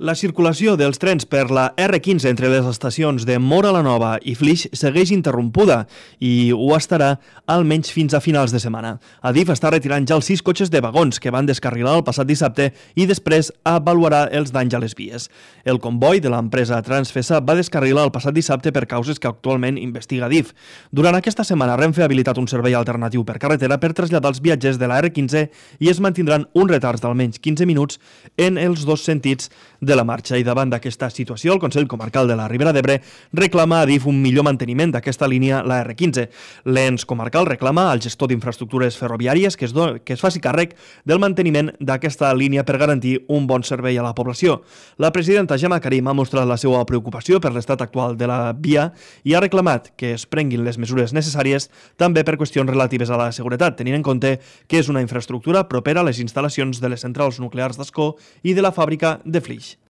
La circulació dels trens per la R15 entre les estacions de Móra la Nova i Flix segueix interrompuda i ho estarà almenys fins a finals de setmana. Adif està retirant ja els 6 cotxes de vagons que van descarrilar el passat dissabte i després avaluarà els danys a les vies. El comboi de l'empresa Transfesa va descarrilar el passat dissabte per causes que actualment investiga Adif. Durant aquesta setmana Renfe ha habilitat un servei alternatiu per carretera per traslladar els viatgers de la R15 i es mantindran uns retards d'almenys 15 minuts en els dos sentits de la marxa. I davant d'aquesta situació, el Consell Comarcal de la Ribera d'Ebre reclama a Adif un millor manteniment d'aquesta línia, la R15. L'ens comarcal reclama al gestor d'infraestructures ferroviàries que es faci càrrec del manteniment d'aquesta línia per garantir un bon servei a la població. La presidenta Gemma Karim ha mostrat la seva preocupació per l'estat actual de la via i ha reclamat que es prenguin les mesures necessàries també per qüestions relatives a la seguretat, tenint en compte que és una infraestructura propera a les instal·lacions de les centrals nuclears d'Ascó i de la fàbrica de Flix.